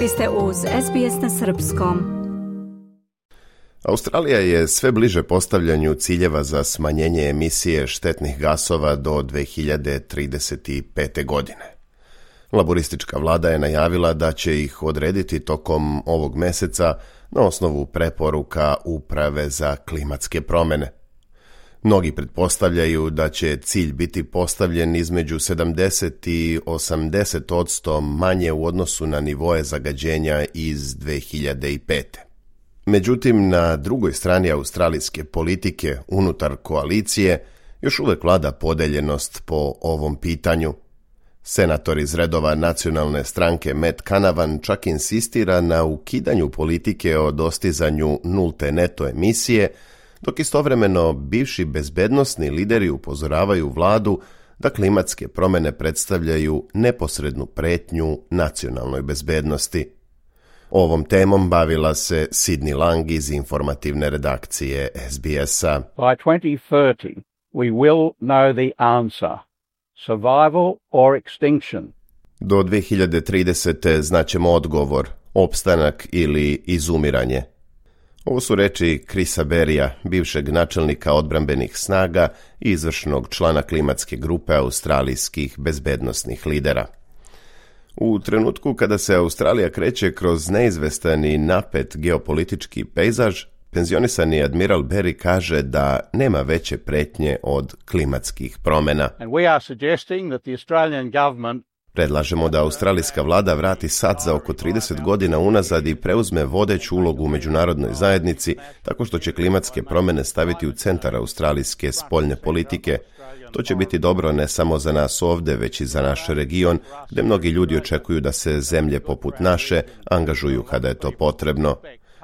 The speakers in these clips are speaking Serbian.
Vi ste uz SBS na srpskom. Australija je sve bliže postavljanju ciljeva za smanjenje emisije štetnih gasova do 2035. godine. Laboristička vlada je najavila da će ih odrediti tokom ovog meseca na osnovu preporuka Uprave za klimatske promjene. Mnogi pretpostavljaju da će cilj biti postavljen između 70 i 80% manje u odnosu na nivoe zagađenja iz 2005. Međutim, na drugoj strani australijske politike unutar koalicije još uvek vlada podeljenost po ovom pitanju. Senator iz redova nacionalne stranke Matt Canavan čak insistira na ukidanju politike o dostizanju nulte neto emisije, dok istovremeno bivši bezbednosni lideri upozoravaju vladu da klimatske promjene predstavljaju neposrednu pretnju nacionalnoj bezbednosti. Ovom temom bavila se Sydney Lang iz informativne redakcije SBS-a. By 2030, we will know the answer. Survival or extinction. Do 2030. znaćemo odgovor, opstanak ili izumiranje. Ovo su reči Chrisa Berrya, bivšeg načelnika odbrambenih snaga i izvršnog člana klimatske grupe australijskih bezbednosnih lidera. U trenutku kada se Australija kreće kroz neizvestan i napet geopolitički pejzaž, penzionisani admiral Berry kaže da nema veće pretnje od klimatskih promjena. Predlažemo da australijska vlada vrati sat za oko 30 godina unazad i preuzme vodeću ulogu u međunarodnoj zajednici tako što će klimatske promjene staviti u centar australijske spoljne politike. To će biti dobro ne samo za nas ovdje, već i za naš region, gdje mnogi ljudi očekuju da se zemlje poput naše angažuju kada je to potrebno.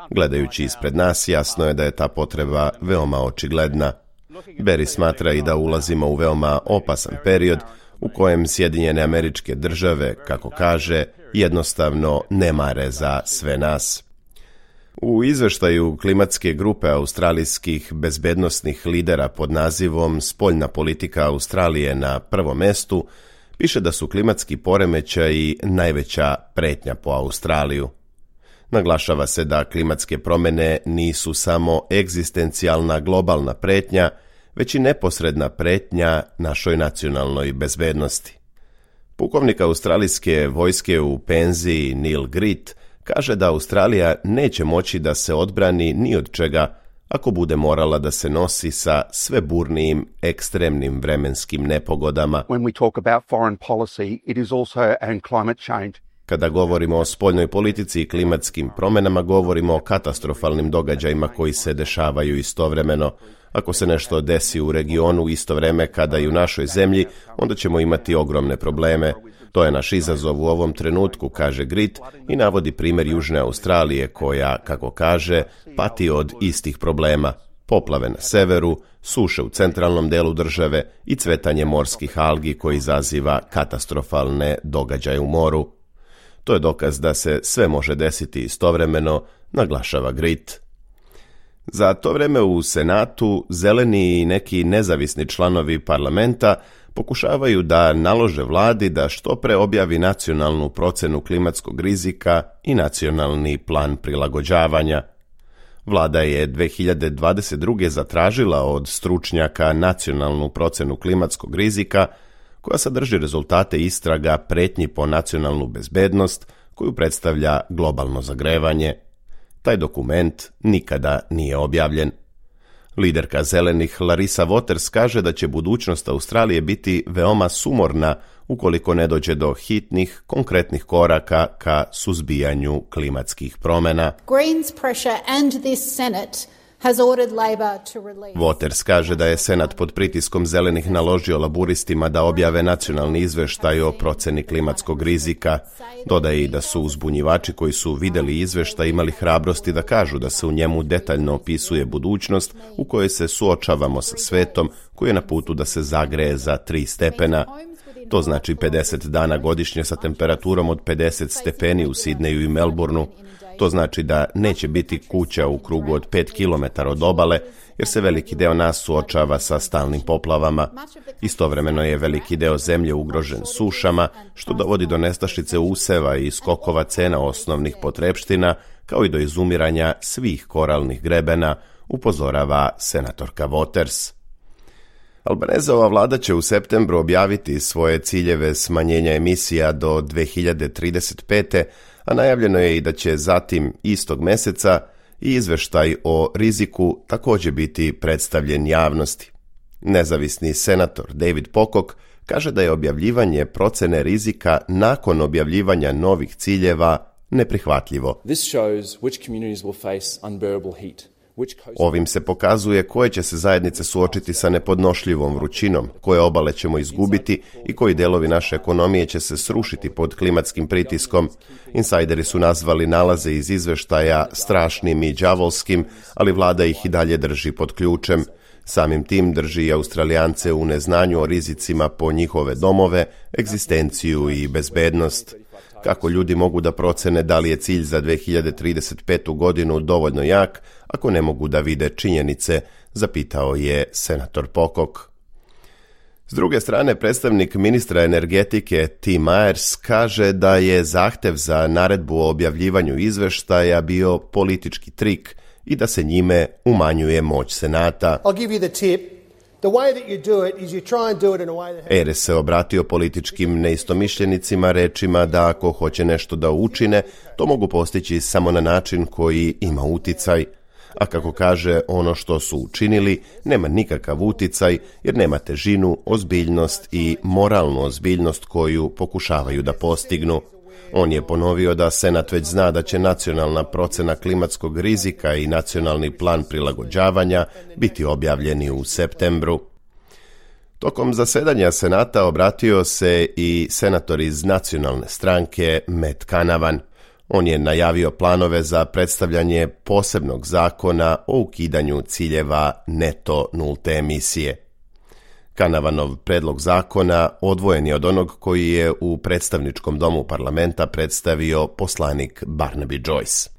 Gledajući ispred nas, jasno je da je ta potreba veoma očigledna. Berry smatra i da ulazimo u veoma opasan period u kojem Sjedinjene Američke Države, kako kaže, jednostavno ne mare za sve nas. U izveštaju klimatske grupe australijskih bezbednosnih lidera pod nazivom Spoljna politika Australije na prvom mestu piše da su klimatski poremećaji najveća pretnja po Australiju. Naglašava se da klimatske promjene nisu samo egzistencijalna globalna pretnja, već i neposredna pretnja našoj nacionalnoj bezbednosti. Pukovnik australijske vojske u penziji Neil Gritt kaže da Australija neće moći da se odbrani ni od čega ako bude morala da se nosi sa sve burnijim ekstremnim vremenskim nepogodama. Kada govorimo o spoljnoj politici i klimatskim promjenama, govorimo o katastrofalnim događajima koji se dešavaju istovremeno. Ako se nešto desi u regionu isto vreme kada i u našoj zemlji, onda ćemo imati ogromne probleme. To je naš izazov u ovom trenutku, kaže Gritt i navodi primjer Južne Australije koja, kako kaže, pati od istih problema. Poplave na severu, suše u centralnom delu države i cvetanje morskih algi koji izaziva katastrofalne događaje u moru. To je dokaz da se sve može desiti istovremeno, naglašava Gritt. Za to vreme u Senatu zeleni i neki nezavisni članovi parlamenta pokušavaju da nalože vladi da što pre objavi nacionalnu procenu klimatskog rizika i nacionalni plan prilagođavanja. Vlada je 2022. zatražila od stručnjaka nacionalnu procenu klimatskog rizika koja sadrži rezultate istraga pretnji po nacionalnu bezbednost koju predstavlja globalno zagrevanje. Taj dokument nikada nije objavljen. Liderka zelenih Larissa Waters kaže da će budućnost Australije biti veoma sumorna ukoliko ne dođe do hitnih, konkretnih koraka ka suzbijanju klimatskih promjena. Waters kaže da je Senat pod pritiskom zelenih naložio laburistima da objave nacionalni izveštaj o proceni klimatskog rizika. Dodaje i da su uzbunjivači koji su vidjeli izveštaj imali hrabrosti da kažu da se u njemu detaljno opisuje budućnost u kojoj se suočavamo sa svetom koji je na putu da se zagreje za 3 stepena. To znači 50 dana godišnje sa temperaturom od 50 stepeni u Sidneju i Melbourneu. To znači da neće biti kuća u krugu od 5 km od obale, jer se veliki deo nas suočava sa stalnim poplavama. Istovremeno je veliki deo zemlje ugrožen sušama, što dovodi do nestašice useva i skokova cena osnovnih potrepština, kao i do izumiranja svih koralnih grebena, upozorava senatorka Waters. Albanezova vlada će u septembru objaviti svoje ciljeve smanjenja emisija do 2035. a najavljeno je i da će zatim istog meseca i izveštaj o riziku također biti predstavljen javnosti. Nezavisni senator David Pocock kaže da je objavljivanje procene rizika nakon objavljivanja novih ciljeva neprihvatljivo. Ovim se pokazuje koje će se zajednice suočiti sa nepodnošljivom vrućinom, koje obale ćemo izgubiti i koji delovi naše ekonomije će se srušiti pod klimatskim pritiskom. Insajderi su nazvali nalaze iz izveštaja strašnim i đavolskim, ali vlada ih i dalje drži pod ključem. Samim tim drži i Australijance u neznanju o rizicima po njihove domove, egzistenciju i bezbednost. Kako ljudi mogu da procene da li je cilj za 2035. godinu dovoljno jak, ako ne mogu da vide činjenice, zapitao je senator Pocock. S druge strane, predstavnik ministra energetike Tim Myers kaže da je zahtev za naredbu o objavljivanju izveštaja bio politički trik i da se njime umanjuje moć Senata. Ayres se obratio političkim neistomišljenicima rečima da ako hoće nešto da učine, to mogu postići samo na način koji ima uticaj. A kako kaže, ono što su učinili nema nikakav uticaj jer nema težinu, ozbiljnost i moralnu ozbiljnost koju pokušavaju da postignu. On je ponovio da Senat već zna da će nacionalna procena klimatskog rizika i nacionalni plan prilagođavanja biti objavljeni u septembru. Tokom zasedanja Senata obratio se i senator iz nacionalne stranke Matt Canavan. On je najavio planove za predstavljanje posebnog zakona o ukidanju ciljeva neto nulte emisije. Canavanov predlog zakona odvojen je od onog koji je u predstavničkom domu parlamenta predstavio poslanik Barnaby Joyce.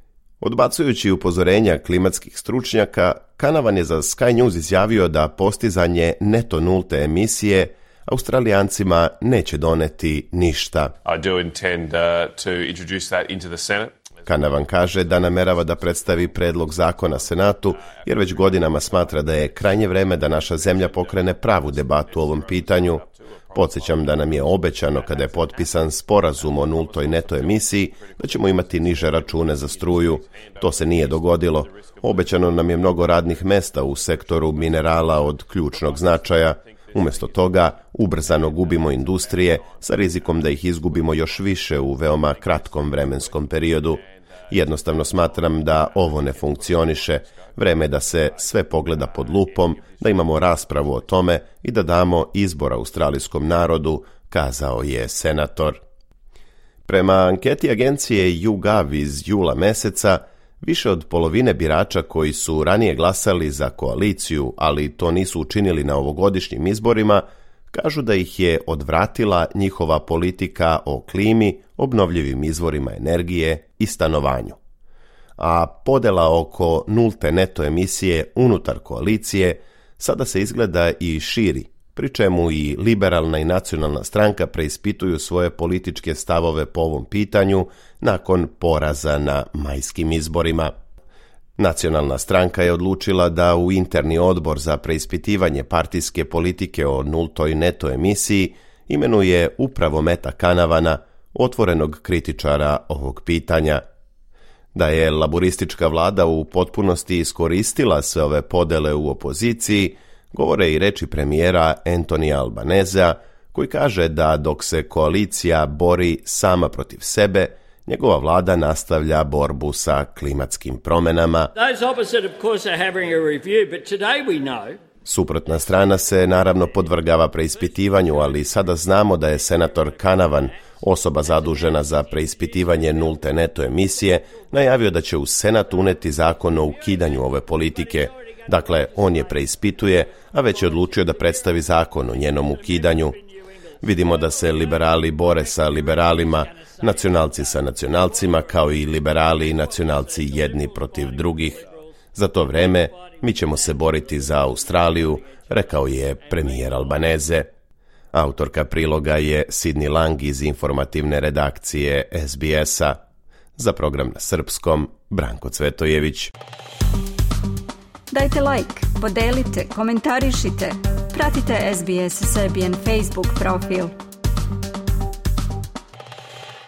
Odbacujući upozorenja klimatskih stručnjaka, Canavan je za Sky News izjavio da postizanje neto nulte emisije Australijancima neće doneti ništa. Canavan kaže da namerava da predstavi predlog zakona Senatu, jer već godinama smatra da je krajnje vreme da naša zemlja pokrene pravu debatu o ovom pitanju. Podsjećam da nam je obećano kada je potpisan sporazum o nultoj neto emisiji da ćemo imati niže račune za struju. To se nije dogodilo. Obećano nam je mnogo radnih mesta u sektoru minerala od ključnog značaja. Umjesto toga, ubrzano gubimo industrije sa rizikom da ih izgubimo još više u veoma kratkom vremenskom periodu. Jednostavno smatram da ovo ne funkcioniše. Vreme je da se sve pogleda pod lupom, da imamo raspravu o tome i da damo izbor australijskom narodu, kazao je senator. Prema anketi agencije YouGov iz jula meseca, više od polovine birača koji su ranije glasali za koaliciju, ali to nisu učinili na ovogodišnjim izborima, kažu da ih je odvratila njihova politika o klimi, obnovljivim izvorima energije i stanovanju. A podela oko nulte neto emisije unutar koalicije sada se izgleda i širi, pri čemu i liberalna i nacionalna stranka preispituju svoje političke stavove po ovom pitanju nakon poraza na majskim izborima. Nacionalna stranka je odlučila da u interni odbor za preispitivanje partijske politike o nultoj neto emisiji imenuje upravo Matta Canavana, otvorenog kritičara ovog pitanja. Da je laboristička vlada u potpunosti iskoristila sve ove podele u opoziciji, govore i reči premijera Antonija Albanezea, koji kaže da dok se koalicija bori sama protiv sebe, njegova vlada nastavlja borbu sa klimatskim promjenama. Suprotna strana se naravno podvrgava preispitivanju, ali sada znamo da je senator Canavan, osoba zadužena za preispitivanje nulte neto emisije, najavio da će u Senat uneti zakon o ukidanju ove politike. Dakle, on je preispituje, a već je odlučio da predstavi zakon o njenom ukidanju. Vidimo da se liberali bore sa liberalima, nacionalci sa nacionalcima, kao i liberali i nacionalci jedni protiv drugih. Za to vreme mi ćemo se boriti za Australiju, rekao je premijer Albaneze. Autorka priloga je Sidney Lang iz informativne redakcije SBS-a. Za program na srpskom, Branko Cvetojević. Dajte like, podelite, komentarišite. Pratite SBS Serbian Facebook profil.